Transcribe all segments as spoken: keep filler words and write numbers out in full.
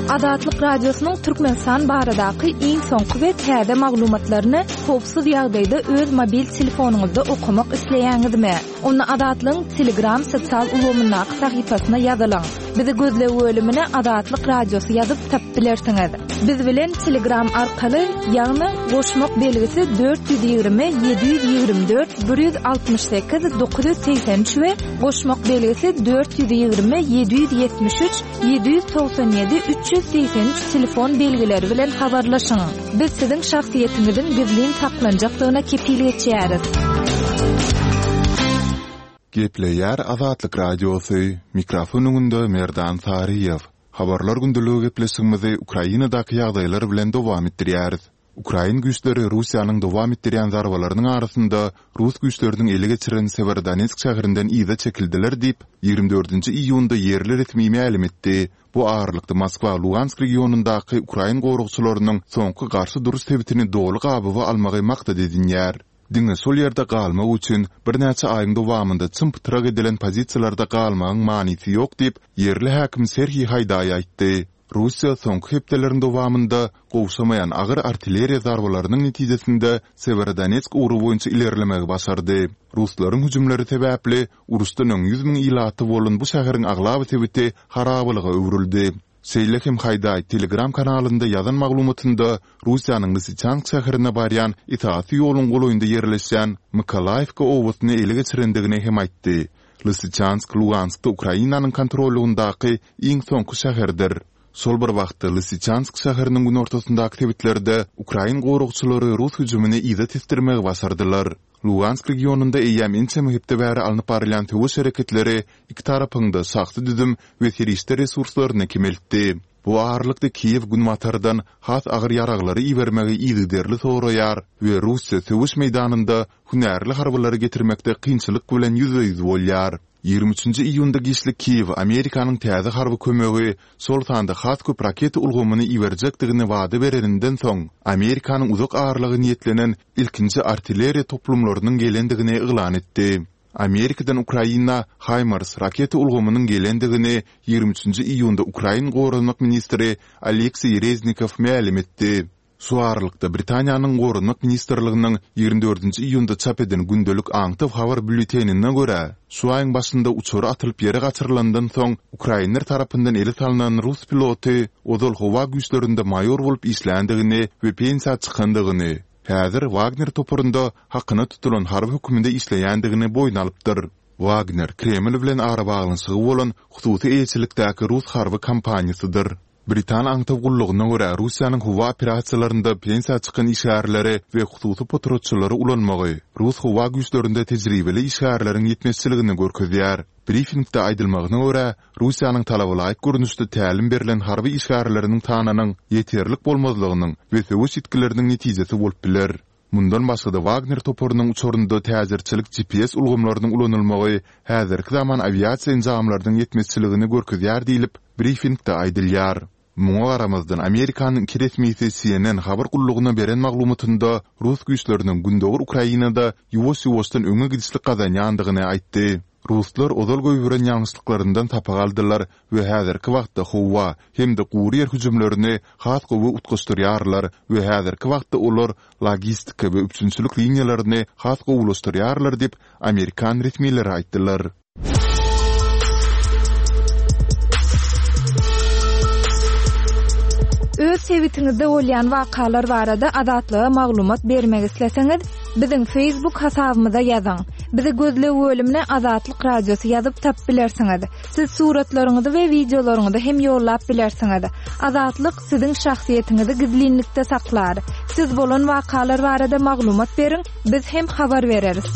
Azatlyk Radiosynyň Türkmenistan baradaky iň soňky we täze maglumatlaryny howpsuz ýagdaýda öz mobil telefonyňyzda okamak isleýäňizmi? Onda Azatlygyň Telegram sosial ulgamyndaky sahypasyna ýazylyň. Bizi gözleg bölümine Azatlyk Radiosy ýazyp tapyp bilersiňiz. Biz bilen Telegram arkaly, ýagny goşmak belgisi dört ýüz ýigrimi ýedi ýüz ýigrimi dört bir ýüz altmyş sekiz dokuz ýüz segsen üç we goşmak belgisi dört ýüz ýigrimi ýedi ýüz ýetmiş üç ýedi ýüz togsan ýedi üç ýüz segsen üç telefon belgileri bilen habarlaşyň. Biz siziň şahsyýetiňiziň gizlin saklanjakdygyna kepil geçýäris. Gepleýär Azatlyk Radiosy, mikrofon öňünde Merdan Saryýew. Habarlar gündeligi gepleşigimizi Ukrainadaky ýagdaýlar bilen dowam etdirýäris. Ukrain güýçleri Russiýanyň dowam etdirýän zarbalarynyň arasynda rus güýçleriniň ele geçiren Sewerodonetsk şäherinden yza çekildiler diýip, ýigrimi dördünji iýunda ýerli resmi mälim etdi. Bu aralykda Moskwa Lugansk regionyndaky ukrain goragçylarynyň soňky garşy duruş sebitini doly gabawa almagy maksat edinýär. Diňe şol ýerde galmak üçin birnäçe aýyň dowamynda çym-pytrak edilen pozisiýalarda galmagyň manysy ýok diýip, ýerli häkim Serhiý Haýdaý aýtdy. Russiýa soňky hepdeleriň dowamynda gowşamaýan agyr artilleriýa zarbalarynyň netijesinde Sewerodonetsk ugry boýunça ilerlemegi başardy. Ruslaryň hüjümleri sebäpli uruşdan öň ýüz müň ilaty bolan bu şäheriň aglaba sebiti harabalyga öwrüldi. Şeýle hem Haýdaý Telegram kanalynda ýazan maglumatynda Russiýanyň Lysyçansk şäherine barýan esasy ýoluň golaýynda ýerleşýän Mykolaýewka obasyny ele geçirendigini hem aýtdy. Lysyçansk Luganskda Ukrainanyň kontrollygyndaky iň soňky şäherdir. Şol bir wagtda Lysyçansk şäheriniň günortasyndaky sebitlerde ukrain goragçylary rus hüjümini yza tesdirmegi başardylar. Lugansk regionynda eýýäm ençeme hepde bäri alnyp barylýan söweş hereketleri iki tarapyň-da şahsy düzüm we serişde resurslaryny kemeltdi. Bu aralykda Kiýew Günbatardan has agyr ýaraglary ibermegi yzygiderli soraýar we Russiýa söweş meýdanynda hünärli harbylary getirmekde kynçylyk bilen ýüzbe-ýüz bolýar. Ýigrimi üçünji iýunda giçlik Kiýew Amerikanyň täze harby kömegi, şol sanda has köp raketa ulgamyny iberjekdigini wada bereninden soň, Amerikanyň uzak aralyga niýetlenen ilkinji artilleriýa toplumlarynyň gelendigini yglan etdi. Amerikadan Ukraina HIMARS raketa ulgamynyň gelendigini ýigrimi üçünji iýunda ukrain goranmak ministri Oleksiý Reznikow mälim etdi. Şu aralykda, Britaniýanyň Goranmak ministrliginiň ýigrimi dördünji iýunda çap eden gündelik aňtaw habar býulletenine görä, şu aýyň başynda uçary atylyp ýere gaçyrylandan soň ukrainler tarapyndan ele salnan rus piloty ozal howa güýçlerinde maýor bolup işländigini we pensiýa çykandygyny, häzir Wagner toparynda hakyna tutulan harby höküminde işleýändigini boýun alypdyr. Wagner, Kreml bilen arabaglanyşygy bolan hususy eýeçilikdäki rus harby kompaniýasydyr. Britan aňtaw gullugyna görä, Russiýanyň howa operasiýalarynda pensiýa çykan işgärleri we hususy potratçylary ulanmagy, rus howa güýçlerinde tejribeli işgärleriň ýetmezçiligini görkezýär. Brifingde aýdylmagyna görä, Russiýanyň talabalaýyk görnüşde tälim berlen harby işgärleriniň sanynyň ýeterlik bolmazlygynyň we söweş ýitgileriniň netijesi bolup biler. Mundan başga-da Wagner toparynyň uçarynda täjirçilik G P S ulgamlarynyň ulanylmagy häzirki zaman awiasiýa enjamlarynyň ýetmezçiligini görkezýär diýlip, brifingde aýdylýar. Muňa garamazdan, Amerikanyň iki resmisi C N N habar gullugyna beren maglumatynda rus güýçleriniň gündogar Ukrainada ýuwaş-ýuwaşdan öňe gidişlik gazanýandygyny aýtdy. Ruslar ozal goýberen ýalňyşlyklaryndan sapak aldylar we häzirki wagtda howa hem-de gury ýer hüjümlerini has gowy utgaşdyrýarlar we häzirki wagtda olar logistika we üpjünçilik liniýalaryny has gowulaşdyrýarlar diýip, amerikan resmileri aýtdylar. Öz sebitiňizde bolýan wakalar barada Azatlyga maglumat bermek isleseňiz, biziň Facebook hasabymyza ýazyň. Bizi gözleg bölümine Azatlyk Radiosy ýazyp tapyp bilersiňiz. Siz suratlaryňyzy we wideolaryňyzy hem ýollap bilersiňiz. Azatlyk siziň şahsyýetiňizi gizlinlikde saklar. Siz bolan wakalar barada maglumat beriň, biz hem habar bereris.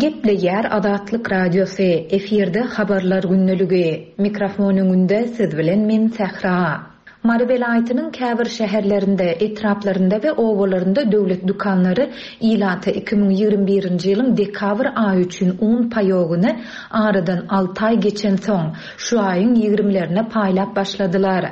Gepleýär Azatlyk Radiosy, efirde habarlar gündeligi. Mikrofon öňünde siz bilen men Sähra. Mary welaýatynyň käbir şäherlerinde, etraplarynda we obalarynda döwlet dükanlary ilata iki müň ýigrimi birinji ýylyň dekabr aýy üçin un paýogyny aradan alty aý geçensoň, şu aýyň ýigrimelerine paýlap başladylar.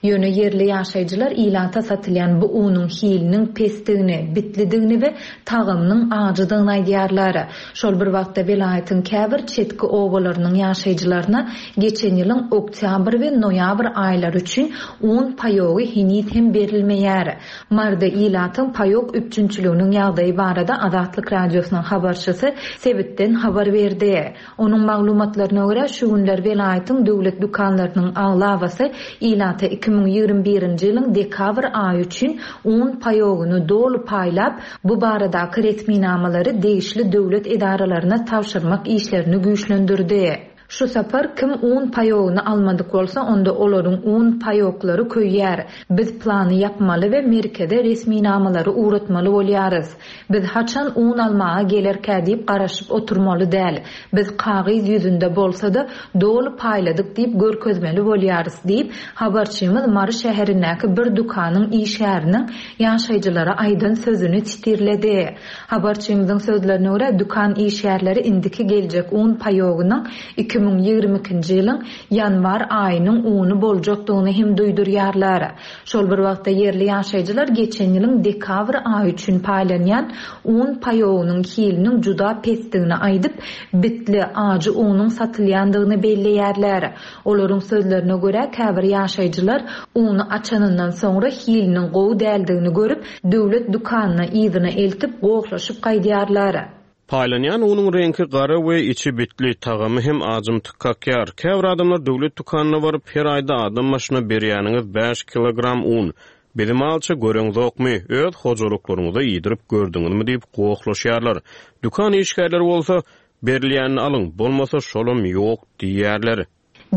Ýöne ýerli ýaşaýjylar ilata satylýan bu unuň hiliniň pesdigini, bitlidigini we tagamynyň ajydygyny aýdýarlar. Şol bir wagtda welaýatyň käbir çetki obalarynyň ýaşaýjylaryna geçen ýylyň oktýabr we noýabr aýlary üçin un paýogy heniz hem berilmeýär. Maryda ilatyň paýok üpjünçiliginiň ýagdaýy barada Azatlyk Radiosynyň habarçysy sebitden habar berdi. Onuň maglumatlaryna görä, şu günler welaýatyň döwlet dükanlarynyň aglabasy ilata iki müň ýigrimi birinji ýylyň dekabr aýy üçin un paýogyny doly paýlap, bu baradaky resminamalary degişli döwlet edaralaryna tabşyrmak işlerini güýçlendirdi. Şu sapar kim un paýogyny almadyk bolsa, onda olaryň un paýoklary köýýär. Biz plany ýapmaly we merkeze resminamalary ugratmaly bolýarys. Biz haçan un almaga gelerkä diýip garaşyp oturmaly däl. Biz kagyz ýüzünde bolsa-da, doly paýladyk diýip görkezmeli bolýarys diýip, habarçymyz Mary şäherindäki bir dükanyň işgäriniň ýaşaýjylara aýdan sözüni sitirledi. Habarçymyzyň sözlerine görä, dükan işgärleri indiki geljek un paýogynyň iki müň ýigrimi ikinji ýylyň ýanwar aýynyň uny boljakdygyny hem duýdurýarlar. Şol bir wagtda ýerli ýaşaýjylar geçen ýylyň dekabr aýy üçin paýlanýan un paýogynyň hiliniň juda pesdigini aýdyp, bitli, ajy unuň satylýandygyny belleýärler. Olaryň sözlerine görä, käbir ýaşaýjylar uny açanyndan soňra hiliniň gowy däldigini görüp, döwlet dükanyna yzyna eltip, gohlaşyp gaýdýarlar. Paýlanýan unuň reňki gara we içi bitli, tagamy hem ajymtyk kakýar. Käbir adamlar döwlet dükanyna baryp, her aýda adam başyna berýäniňiz bäş kilogram un. Bizi malça göreňzokmy, öz hojalyklaryňyza iýdirip gördüňizmi diýip gohlaşýarlar. Dükan işgärleri bolsa, berilýänini alyň, bolmasa şolam ýok diýýärler.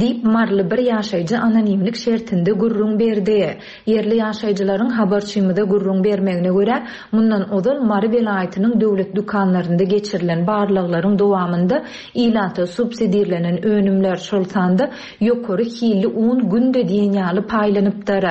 Diýip, maryly bir ýaşaýjy anonimlik şertinde gürrüň berdi. Ýerli ýaşaýjylaryň habarçymyza gürrüň bermegine görä, mundan ozal Mary welaýatynyň döwlet dükanlarynda geçirilen barlaglaryň dowamynda ilata subsidirlenen önümler, şol sanda ýokary hilli un günde diýen ýaly paýlanypdyr.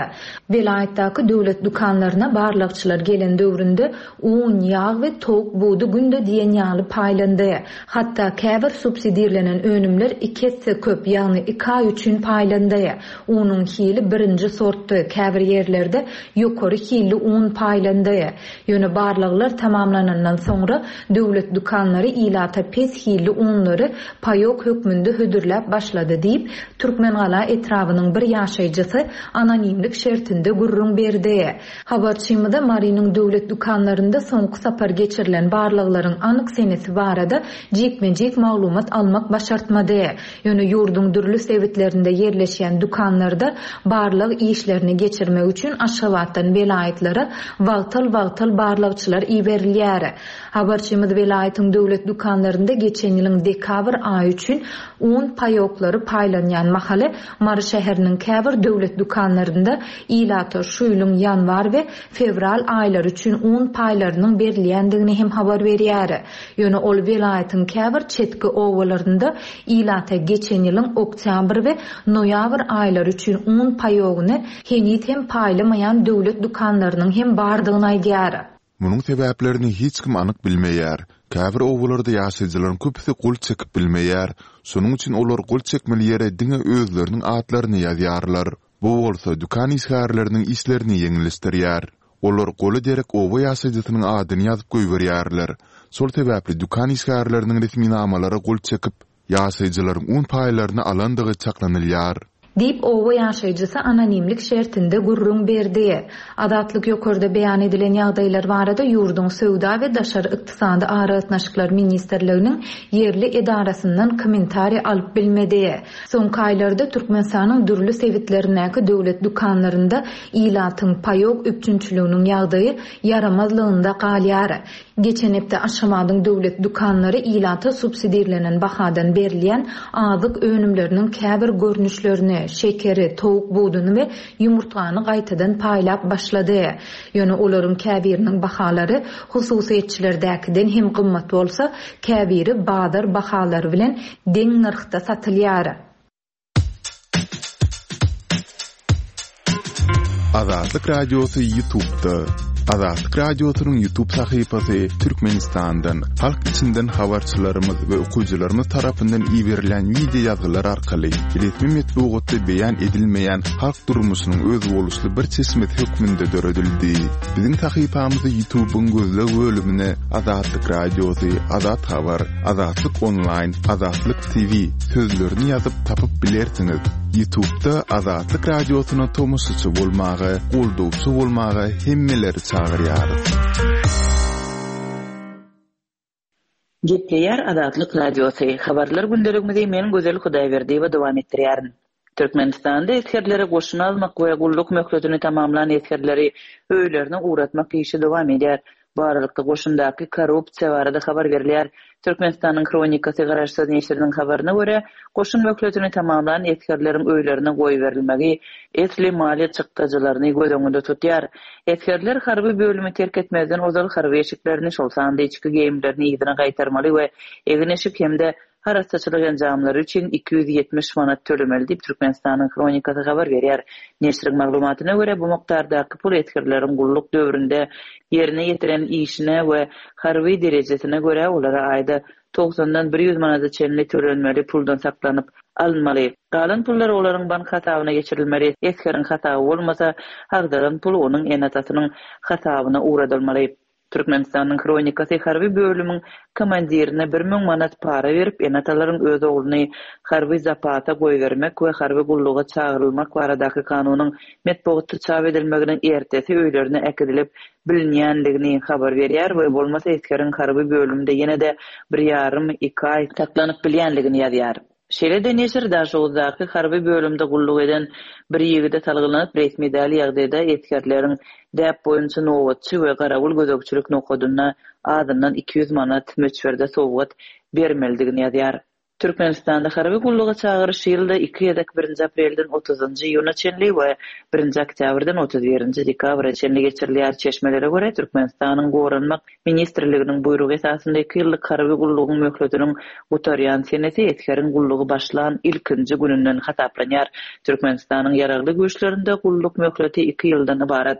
Welaýatdaky döwlet dükanlaryna barlagçylar gelen döwründe un, ýag we towuk budy günde diýen ýaly paýlandy. Hatda käbir subsidirlenen önümler iki esse köp, ýagny iki aý üçin paýlandy. Unuň hili birinji sortdy, käbir ýerlerde ýokary hilli un paýlandy. Ýöne barlaglar tamamlanandan soňra döwlet dükanlary ilata pes hilli unlary paýok hökmünde hödürläp başlady diýip, Türkmengala etrabynyň bir ýaşaýjysy anonimlik şertinde gürrüň berdi. Habarçymyza Marynyň döwlet dükanlarynda soňky sapar geçirilen barlaglaryň anyk senesi barada jikme-jik maglumat almak başartmady. Ýöne ýurduň dürli sebitlerinde ýerleşýän dükanlarda barlag işlerini geçirmek üçin Aşgabatdan welaýatlara wagtal-wagtal barlagçylar iberilýär. Habarçymyz welaýatyň döwlet dükanlarynda geçen ýylyň dekabr aýy üçin un paýoklary paýlanýan mahaly Mary şäheriniň käbir döwlet dükanlarynda ilata şu ýylyň ýanwar we fewral aýlary üçin un paýlarynyň berilýändigini hem habar berýär. Ýöne ol welaýatyň käbir çetki obalarynda ilata geçen ýylyň oktýabr we noýabr aýlary üçin un paýogyny heniz hem paýlamaýan döwlet dükanlarynyň hem bardygyny aýdýar. Munuň sebäplerini hiç kim anyk bilmeýär. Käbir obalarda ýaşaýjylaryň köpüsi gol çekip bilmeýär. Şonuň üçin olar gol çekmeli ýere diňe özleriniň atlaryny ýazýarlar. Bu bolsa dükan işgärleriniň işlerini ýeňilleşdirýär. Olar goly derek oba ýaşaýjysynyň adyny ýazyp goýberýärler. Şol sebäpli dükan işgärleriniň resminamalara gol çekip, ýaşaýjylaryň un paýlaryny alandygy çaklanylýar. Diýip, oba ýaşaýjysy anonimlik şertinde gürrüň berdi. Azatlyk ýokarda beýan edilen ýagdaýlar barada ýurduň Söwda we daşary ykdysady aragatnaşyklar ministrliginiň ýerli edarasyndan kommentariý alyp bilmedi. Soňky aýlarda Türkmenistanyň dürli sebitlerindäki döwlet dükanlarynda ilatyň paýok üpjünçiliginiň ýagdaýy ýaramazlygynda galýar. Geçen hepde Aşgabadyň döwlet dükanlary ilata subsidirlenen bahadan berilýän azyk önümleriniň käbir görnüşlerini, şekeri, towuk buduny we ýumurtgany gaýtadan paýlap başlady. Ýöne olaryň käbiriniň bahalary hususyýetçilerdäkiden hem gymmat bolsa, käbiri bazar bahalary bilen deň nyrhda satylýar. Azatlyk Radiosy YouTube'da. Azatlyk Radiosynyň YouTube sahypasy Türkmenistandan, halk içinden habarçylarymyz we okyjylarymyz tarapyndan iberilen wideo ýazgylar arkaly resmi metbugatda beýan edilmeýän halk durmuşynyň özboluşly bir çeşmesi hökmünde döredildi. Biziň sahypamyzy YouTube'yň gözleg bölümine Azatlyk Radiosy, Azat Habar, Azatlyk Online, Azatlyk T V sözlerini ýazyp tapyp bilersiňiz. YouTube'da Azatlyk Radiosyna tomaşaçy bolmaga, goldawçy bolmaga hemmeleri çagyrýarys. Gepleýär Azatlyk Radiosy. Habarlar gündeligimizi men Gözel Hudaýberdiýewa dowam etdirýärin. Türkmenistanda esgerleri goşuna almak we gulluk möhletini tamamlan esgerleri öýlerine ugratmak işi dowam edýär. Bu aralykda goşundaky korrupsiýa barada habar berilýär. Türkmenistanyň Hronikasy garaşsyz neşiriniň habaryna görä, goşun möhletini tamamlan esgerleriň öýlerine goýberilmegi esli maliýe çykdajylaryny göz öňünde tutýar. Esgerler harby bölümi terk etmezden ozal harby eşiklerini, şol sanda içki geýimlerini yzyna gaýtarmaly we egin-eşik hem-de arassaçylyk enjamlary üçin iki ýüz ýetmiş manat tölemeli diýip Türkmenistanyň Hronikasy habar berýär. Neşiriň maglumatyna görä, bu mukdardaky pul esgerleriň gulluk döwründe ýerine ýetiren işine we harby derejesine görä olara aýda togsandan bir ýüz manada çenli tölenmeli puldan saklanyp alynmaly. Galan pullar olaryň bank hasabyna geçirilmeli. Esgeriň hasaby bolmasa, agdaran pul onuň ene-atasynyň hasabyna ugradylmaly. Türkmenistanyň Hronikasy harby bölümiň komandirine bir müň manat para berip, ene-atalaryň öz ogluny harby zapasa goýbermek we harby gulluga çagyrylmak baradaky kanunyň metbugatda çap edilmeginiň ertesi öýlerine äkidilip bilinýändigini habar berýär we bolmasa esgeriň harby bölümde ýene-de bir ýarym iki aý saklanyp bilýändigini ýazýar. Şeýle-de neşir Daşoguzdaky harby bölümde gulluk eden bir ýigide salgylanyp, resmi däl ýagdaýda esgerleriň däp boýunça nobatçy we garawul gözegçilik nokadynda azyndan iki ýüz manat möçberde sowgat bermelidigini ýazýar. Türkmenistanda harby gulluga çagyryş ýylda iki gezek birinji aprelden otuzynjy iýuna çenli we birinji oktýabrdan otuz birinji dekabra çenli geçirilýär. Çeşmelere görä, Türkmenistanyň Goranmak Ministrliginiň buýrugy esasynda iki ýyllyk harby gullugyň möhletiniň gutarýan senesi esgeriň gullugy başlan ilkinji gününden hasaplanýar. Türkmenistanyň ýaragly güýçlerinde gulluk möhleti iki ýyldan ybarat.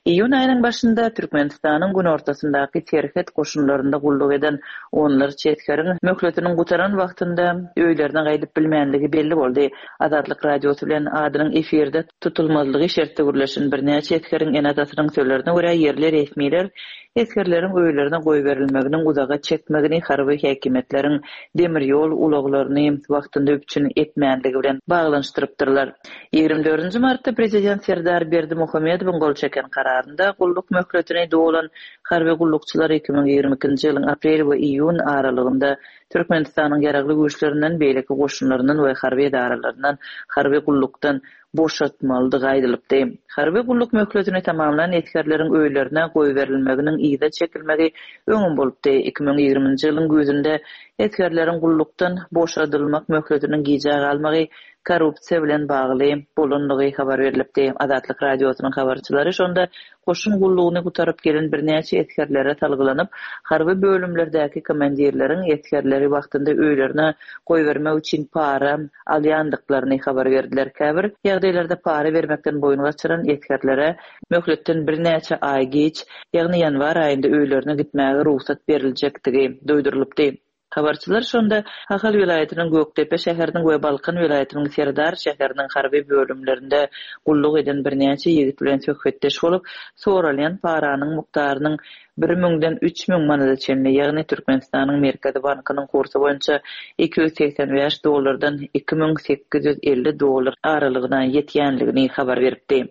Iýun aýynyň başynda Türkmenistanyň günortasyndaky serhet goşunlarynda gulluk eden onlarça esgeriň möhletiniň gutaran wagtynda öýlerine gaýdyp bilmänligi belli boldy. Azatlyk Radiosy bilen adynyň efirde tutulmazlygy şertde gürleşen birnäçe esgeriň ene-atasynyň sözlerine görä, ýerli resmiler esgerleriň öýlerine goýberilmeginiň uzaga çekmegini harby häkimiýetleriň demir ýol ulaglaryny wagtynda üpjün etmänligi bilen baglanyşdyrypdyrlar. Ýigrimi dördünji martda prezident Serdar Berdimuhamedowyň gol çeken kararynda gulluk möhletini dolan harby gullukçylar iki müň ýigrimi ikinji ýylyň aprel we iýun aralygynda Türkmenistanyň ýaragly güýçlerinden, beýleki goşunlaryndan we harby edaralaryndan harby gullukdan boşatmalydygy aýdylypdy. Harby gulluk möhletini tamamlan esgerleriň öýlerine goýberilmeginiň yza çekilmegi öňüm bolupdy. Iki müň ýigriminji ýylyň güýzünde esgerleriň gullukdan boşadylmak möhletiniň gijä galmagy korrupsiýa bilen bagly bolanlygy habar berilipdi. Azatlyk Radiosynyň habarçylary şonda goşun gullugyny gutaryp gelen birnäçe esgerlere salgylanyp, harby bölümlerdäki komandirleriň esgerleri wagtynda öýlerine goýbermek üçin para alýandyklaryny habar berdiler. Käbir ýagdaýlarda para bermekden boýun gaçyran esgerlere möhletden birnäçe aý geç, ýagny ýanwar aýynda öýlerine gitmäge rugsat beriljekdigi duýdurylypdy. Habarçylar şonda Ahal welaýatynyň Gökdepe şäheriniň we Balkan welaýatynyň Serdar şäheriniň harby bölümlerinde gulluk eden birnäçe ýigit bilen söhbetdeş bolup, soralýan paranyň mukdarynyň bir müňden üç müň manada çenli, ýagny Türkmenistanyň Merkezi Bankynyň kursy boýunça iki ýüz segsen bäş dollardan iki müň sekiz ýüz elli dollar aralygyna ýetýänligini habar beripdi.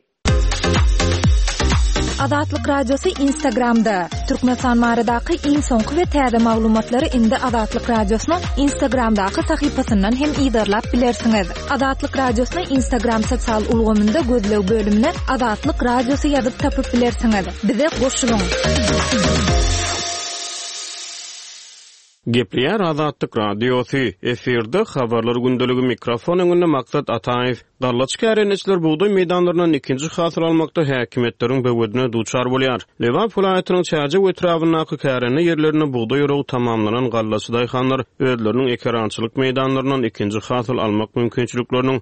Azatlyk Radiosy Instagramda. Türkmenistan baradaky iň soňky we täze maglumatlary indi Azatlyk Radiosynyň Instagramdaky sahypasyndan hem yzarlap bilersiňiz. Azatlyk Radiosyny Instagram sosial ulgamynda gözleg bölümine Azatlyk Radiosy ýazyp tapyp bilersiňiz. Bize goşulyň. Gepleýär Azatlyk Radiosy. Efirde habarlar gündeligi mikrofon öňünde Maksat Ataýew. Gallaç kärendeçiler bugdaý meýdanlaryndan ikinji hasyl almakda häkimiýetleriň böwedine duçar bolýar. Lebap welaýatynyň Çärjew etrabyndaky kärende ýerlerinde bugdaý oragy tamamlanan gallaçy daýhanlar özleriniň ekerançylyk meýdanlaryndan ikinji hasyl almak mümkinçilikleriniň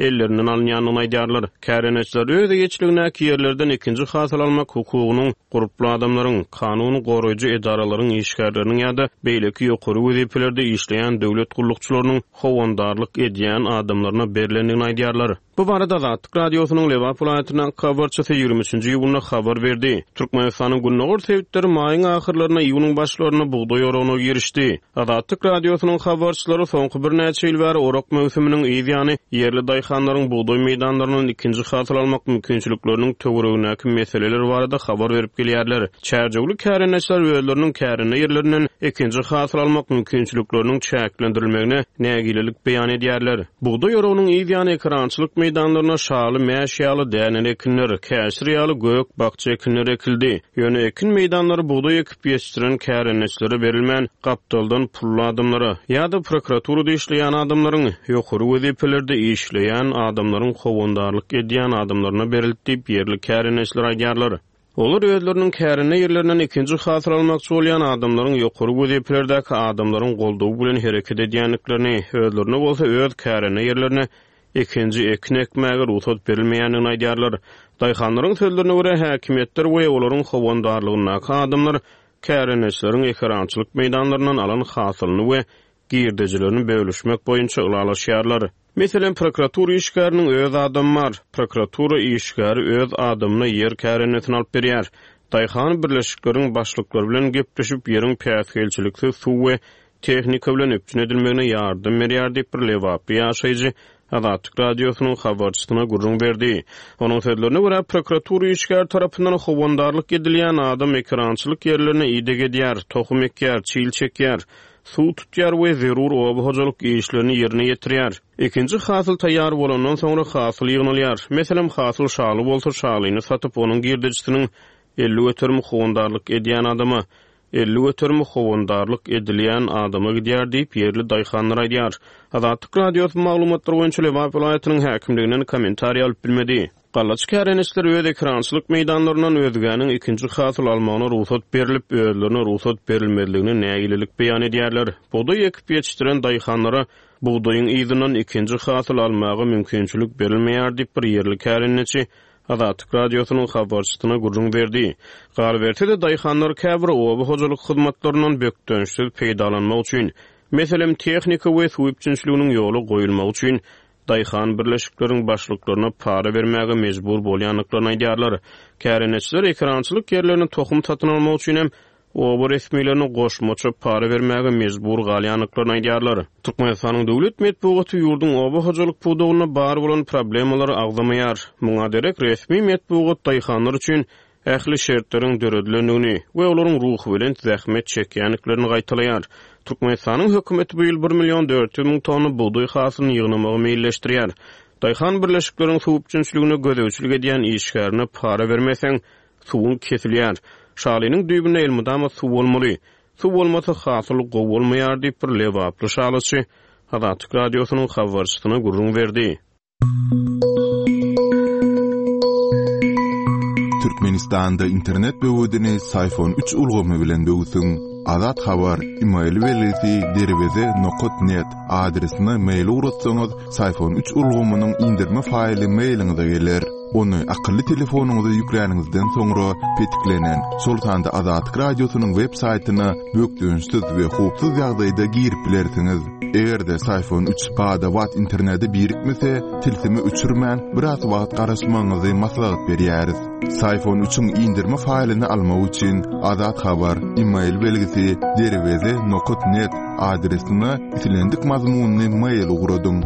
ellerinden alynýandygyny aýdýarlar. Kärendeçiler öz eýeçiligindäki ýerlerden ikinji hasyl almak hukugynyň gurply adamlaryň, kanun goraýjy edaralaryň işgärleriniň ýa-da beýleki ýokary wezipelerde işleýän döwlet gullukçylarynyň howandarlyk edýän adamlaryna berlendigini aýdýarlar. Bu barada Azatlyk Radiosynyň Lebap welaýatyndaky habarçysy ýigrimi üçünji iýunda habar berdi. Türkmenistanyň gündogar sebitleri maýyň ahyrlarynda, iýunyň başlarynda bugdaý oragyna girişdi. Azatlyk Radiosynyň habarçylary soňky birnäçe ýyl bäri orak möwsüminiň yz ýany ýerli daýhanlaryň bugdaý meýdanlaryndan ikinji hasyl almak mümkinçilikleriniň töweregindäki meseleler barada habar berip gelýärler. Çärjewli kärendeçiler özleriniň kärende ýerlerinden ikinji hasyl almak mümkinçilikleriniň çäklendirilmegine nägilelik beýan edýärler. Bugdaý oragynyň yz ýany ekerançylyk meýdanlaryna şaly mäş ýaly däneli ekinler, käşir ýaly gök bakja ekinler ekildi. Ýöne ekin meýdanlary bugdaý ekip ýetişdiren kärendeçilere berilmän, gapdaldan pully adamlara ýa-da prokuraturada işleýän adamlaryň, ýokary wezipelerde işleýän adamlaryň howandarlyk edýän adamlaryna berildi diýip ýerli kärendeçiler aýdýarlar. Olar özleriniň kärende ýerlerinden ikinji hasyl almakçy bolýan adamlaryň ýokary wezipelerdäki adamlaryň goldawy bilen hereket edýändiklerini, özlerine bolsa öz kärende ýerlerine ikinji ekin ekmäge rugsat berilmeýändigini aýdýarlar. Daýhanlaryň sözlerine görä häkimiýetler we olaryň howandarlygyndaky adamlar kärendeçileriň ekerançylyk meýdanlaryndan alan hasylyny we girdejilerini bölüşmek boýunça ylalaşýarlar. Meselem, prokuratura işgäriniň öz adamy bar. Prokuratura işgäri öz adamyna ýer kärendesini alyp berýär. Daýhan birleşikleriň başlyklary bilen gepleşip, ýeriň päsgelçiliksiz suw we tehnika bilen üpjün edilmegine ýardam berýär diýip bir Lebaply ýaşaýjy Azatlyk Radiosynyň habarçysyna gürrüň berdi. Onuň sözlerine görä, prokuratura işgäri tarapyndan howandarlyk edilýän adam ekerançylyk ýerlerine ideg edýär, tohum ekýär, çil çekýär, suw tutýar we zerur oba hojalyk işlerini ýerine ýetirýär. Ikinji hasyl taýýar bolandan soňra hasyl ýygnalýar. Meselem, hasyl şaly bolsa şalyny satyp, onuň girdejisiniň elli göterim howandarlyk edýän adama, elli göterim howandarlyk edilýän adama gidýär diýip ýerli daýhanlar aýdýar. Azatlyk Radiosy maglumatlar boýunça Lebap welaýatynyň häkimliginden kommentariý alyp bilmedi. Gallaçy kärendeçiler öz ekerançylyk meýdanlaryndan özgäniň ikinji hasyl almagyna rugsat berlip, özlerine rugsat berilmezligine nägilelik beýan edýärler. Bugdaý ekip ýetişdiren daýhanlara bugdaýyň yzyndan ikinji hasyl almaga mümkinçilik berilmeýär diýip bir ýerli kärendeçi Azatlyk Radiosynyň habarçysyna gürrüň berdi. Galyberse-de daýhanlar käbir oba hojalyk hyzmatlaryndan bökdençsiz peýdalanmak üçin, meselem, tehnika we suw üpjünçiliginiň ýola goýulmagy üçin daýhan birleşikleriň başlyklaryna para bermäge mejbur bolýandyklaryny aýdýarlar. Kärendeçiler ekerançylyk ýerlerini tohum satyn almak üçin hem oba resmilerine goşmaça para bermäge mejbur galýandyklaryny aýdýarlar. Türkmenistanyň döwlet metbugaty ýurduň oba hojalyk pudagynda bar bolan problemalary agzamaýar. Muňa derek resmi metbugat daýhanlar üçin ähli şertleriň döredilendigini we olaryň ruhubelent zähmet çekýändiklerini gaýtalaýar. Türkmenistanyň hökümeti bu ýyl bir million dört ýüz müň tonna bugdaý hasylyny ýygnamagy meýilleşdirýär. Daýhan birleşikleriň suw üpjünçiligine gözegçilik edýän işgärine para bermeseň, suwuň kesilýär. Şalynyň düýbünde elmydama suw bolmaly. Suw bolmasa hasyl gowy bolmaýar diýip bir Lebaply şalyçy Azatlyk Radiosynyň habarçysyna gürrüň berdi. Türkmenistanda internet böwedini Syfon üç ulgamy bilen böwsüň. Azat Habar, e-mail belgisi derweze nokat net adresine mail ugratsaňyz, Syfon üç ulgamynyň indirme faýly mailiňize geler. Ony akylly telefonyňyza ýükläniňizden soňra petiklenen, şol sanda Azatlyk Radiosynyň web saýtyna bökdençsiz we howpsuz ýagdaýda girip bilersiňiz. Eger-de Syfon üç bada-bat internete birikmese, tilsimi öçürmän biraz wagt garaşmagyňyzy maslahat berýäris. Syfon üçiň indirme faýlyny almak üçin Azat Habar, e-mail belgisi derweze nokat net adresine islendik mazmunyny mail ugradyň.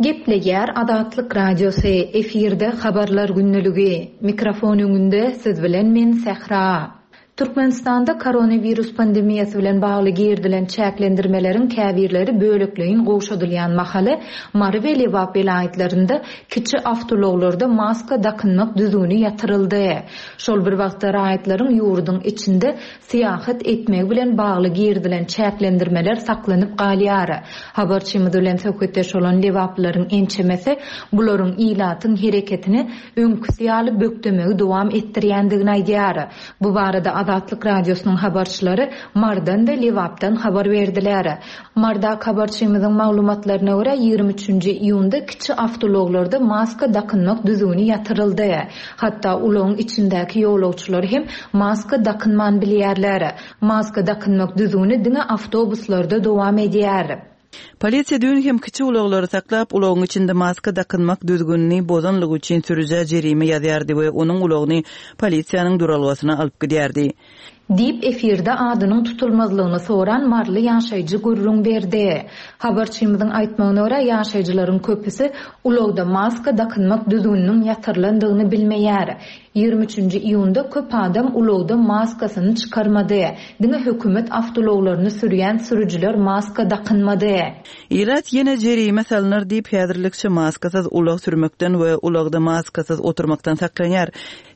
Gepleýär Azatlyk Radiosy, efirde habarlar günlügi. Mikrofon öňünde siz bilen men Sähra. Türkmenistanda koronavirus pandemiýasy bilen bagly girdilen çäklendirmeleriň käbirleri bölekleýin gowşadylýan mahaly Mary we Lebap welaýatlarynda kiçi awtoulaglarda maska dakynmak düzgüni ýatyryldy. Şol bir wagtda raýatlaryň ýurduň içinde syýahat etmegi bilen bagly girdilen çäklendirmeler saklanyp galýar. Habarçymyz bilen söhbetdeş bolan Lebaplylaryň ençemesi bularyň ilatyň hereketini öňküsi ýaly bökdemegi dowam etdirýändigini aýdýar. Bu barada Azatlyk Radiosynyň habarçylary Marydan we Lebapdan habar berdiler. Marydaky habarçymyzyň maglumatlaryna görä, ýigrimi üçünji iýunda kiçi awtoulaglarda maska dakynmak düzgüni ýatyryldy. Hatda ulagyň içindäki ýolagçylar hem maska dakynman bilýärler. Maska dakynmak düzgüni diňe awtobuslarda dowam edýär. Polisiýa düýn hem kiçi ulaglary saklap, ulagyň içinde maska dakynmak düzgünini bozanlygy üçin sürüjä jerime ýazýardy we onuň ulagyny polisiýanyň duralgasyna alyp gidýärdi. Diýip, efirde adynyň tutulmazlygyny soran maryly ýaşaýjy gürrüň berdi. Habarçymyzyň aýtmagyna görä, ýaşaýjylaryň köpüsi ulagda maska dakynmak düzgüniniň ýatyrylandygyny bilmeýär. Ýigrimi üçünji iýunda köp adam ulagda maskasyny çykarmady. Diňe hökümet awtoulaglaryny sürýän sürüjiler maska dakynmady. Ilat ýene jerime salnar diýip, häzirlikçe maskasyz ulag sürmekden we ulagda maskasyz oturmakdan saklanýar.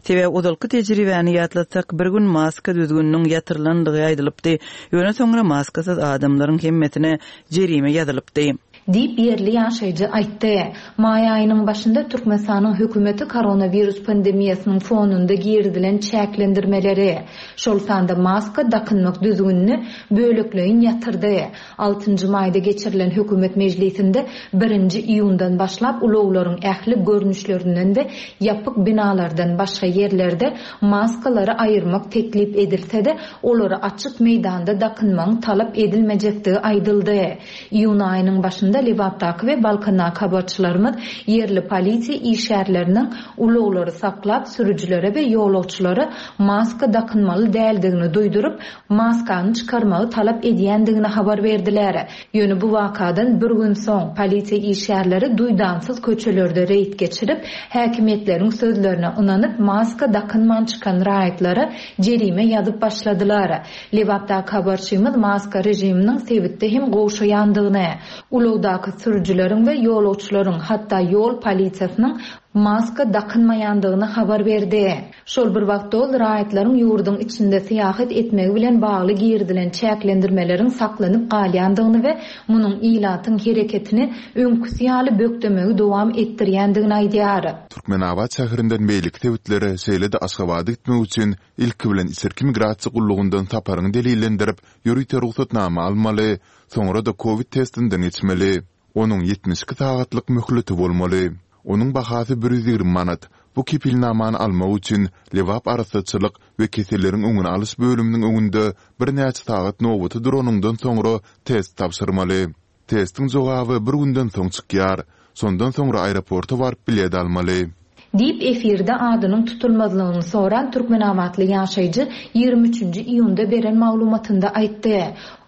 Sebäbi ozalky tejribäni ýatlatsak, bir gün maska düzgüniniň ýatyrylandygy aýdylypdy. Ýöne soňra maskasyz adamlaryň hemmesine jerime ýazylypdy. Diýip, ýerli ýaşaýjy aýtdy. Maý aýynyň başynda Türkmenistanyň hökümeti koronawirus pandemiýasynyň fonunda girizilen çäklendirmeleri, şol sanda maska dakynmak düzgünini bölekleýin ýatyrdy. Altynjy maýda geçirilen hökümet mejlisinde birinji iýundan başlap ulaglaryň ähli görnüşlerinden we ýapyk binalardan başga ýerlerde maskalary aýyrmak teklip edilse-de, olary açyk meýdanda dakynmagyň talap edilmejekdigi aýdyldy. Iýun aýynyň başynda Lebapdaky we Balkandaky habarçylarymyz ýerli polisiýa işgärleriniň ulaglary saklap, sürüjilere we ýolagçylara maska dakynmaly däldigini duýduryp, maskany çykarmagy talap edýändigini habar berdiler. Ýöne bu wakadan bir gün soň, polisiýa işgärleri duýdansyz köçelerde reýd geçirip, häkimiýetleriň sözlerine ynanyp, maska dakynman çykan raýatlara jerime ýazyp başladylar. Lebapdaky habarçymyz maska režiminiň sebitde hem gowşaýandygyny, ulagdaky sürüjileriň we ýolagçylaryň, hatda ýol polisiýasynyň maska dakynmaýandygyny habar berdi. Şol bir wagtda ol raýatlaryň ýurduň içinde syýahat etmegi bilen bagly girizilen çäklendirmeleriň saklanyp galýandygyny we munuň ilatyň hereketini öňküsi ýaly bökdemegi dowam etdirýändigini aýdýar. Türkmenabat şäherinden beýleki sebitlere, şeýle-de Aşgabada gitmek üçin ilki bilen içerki migrasiýa gullugyndan saparyňy delillendirip, ýörite rugsatnama almaly, soňra-da kowid testinden geçmeli. Onuň ýetmiş iki sagatlyk möhleti bolmaly. Onuň bahasy bir ýüz ýigrimi manat. Bu kepilnamany almak üçin Lebap arassaçylyk we keselleriň öňüni alyş bölüminiň öňünde birnäçe sagat nobata duranyňdan soňra test tabşyrmaly. Testiň jogaby bir günden soň çykýar. Şondan soňra aeroporta baryp bilet almaly. Diýip, efirde adynyň tutulmazlygyny soran türkmenabatly ýaşaýjy ýigrimi üçünji iýunda beren maglumatynda aýtdy.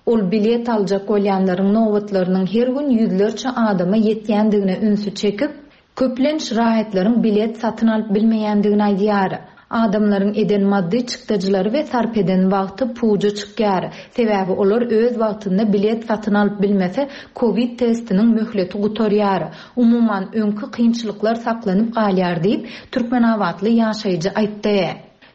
Ol bilet aljak bolýanlaryň nobatlarynyň her gün ýüzlerçe adama ýetýändigine ünsi çekip, köplenç raýatlaryň bilet satyn alyp bilmeýändigini aýdýar. Adamlaryň eden maddy çykdajylary we sarp eden wagty puja çykýar. Sebäbi olar öz wagtynda bilet satyn alyp bilmese, kowid testiniň möhleti gutarýar. Umuman, öňki kynçylyklar saklanyp galýar diýip, türkmenabatly ýaşaýjy aýtdy.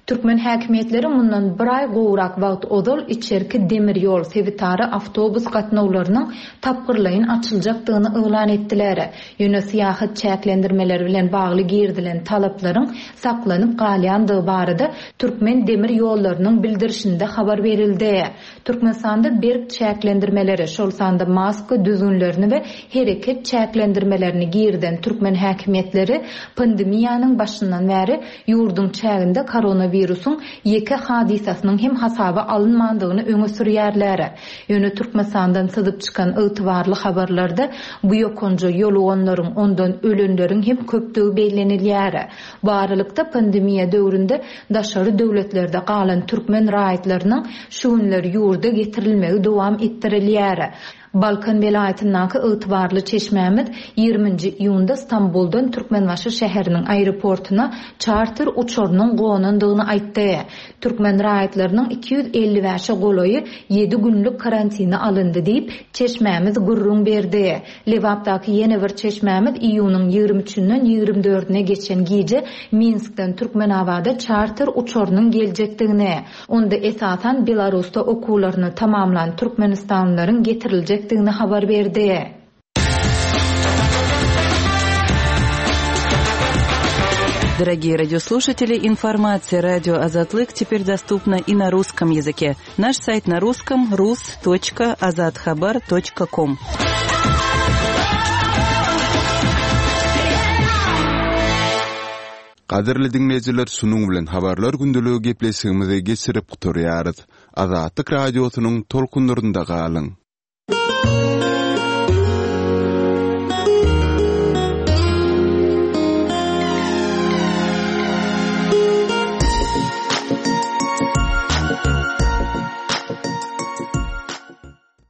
Türkmen häkimiýetleri mundan bir aý gowrak wagt ozal içerki demir ýol, sebitara awtobus gatnawlarynyň tapgyrlaýyn açyljakdygyny yglan etdiler. Ýöne syýahat çäklendirmeleri bilen bagly girizilen talaplaryň saklanyp galýandygy barada Türkmen demir ýollarynyň bildirişinde habar berildi. Türkmenistanda berk çäklendirmeleri, şol sanda maska düzgünlerini we hereket çäklendirmelerini girizen türkmen häkimiýetleri pandemiýanyň başyndan bäri ýurduň çäginde koronawirusyň ýeke hadysasynyň hem hasaba alynmandygyny öňe sürýärler. Ýöne Türkmenistandan syzyp çykan ygtybarly habarlarda bu ýokanja ýoluganlaryň, ondan ölenleriň hem köpdügi bellenilýär. Bu aralykda pandemiýa döwründe daşary döwletlerde galan türkmen raýatlarynyň şu günler ýurda getirilmegi dowam etdirilýär. Balkan welaýatyndaky ygtybarly çeşmämiz ýigriminji iýunda Stambuldan Türkmenbaşy şäheriniň aeroportuna çarter uçarynyň gonandygyny aýtdy. Türkmen raýatlarynyň iki ýüz elli bäşe golaýy ýedi günlük karantine alyndy diýip, çeşmämiz gürrüň berdi. Lebapdaky ýene bir çeşmämiz iýunyň ýigrimi üçünden ýigrimi dördüne geçen gije Minskden Türkmenabada çarter uçarynyň geljekdigini, onda esasan Belarusda okuwlaryny tamamlan türkmenistanlylaryň getiriljekdigini habar berdi. Дорогие радиослушатели, информация радио Азатлык теперь доступна и на русском языке. Наш сайт на русском rus.azathabar.com. Gadyrly diňleýjiler, şunuň bilen habarlar gündeligi gepleşigimizi geçirip gutarýarys. Azatlyk radiosynyň tolkunlarynda galyň.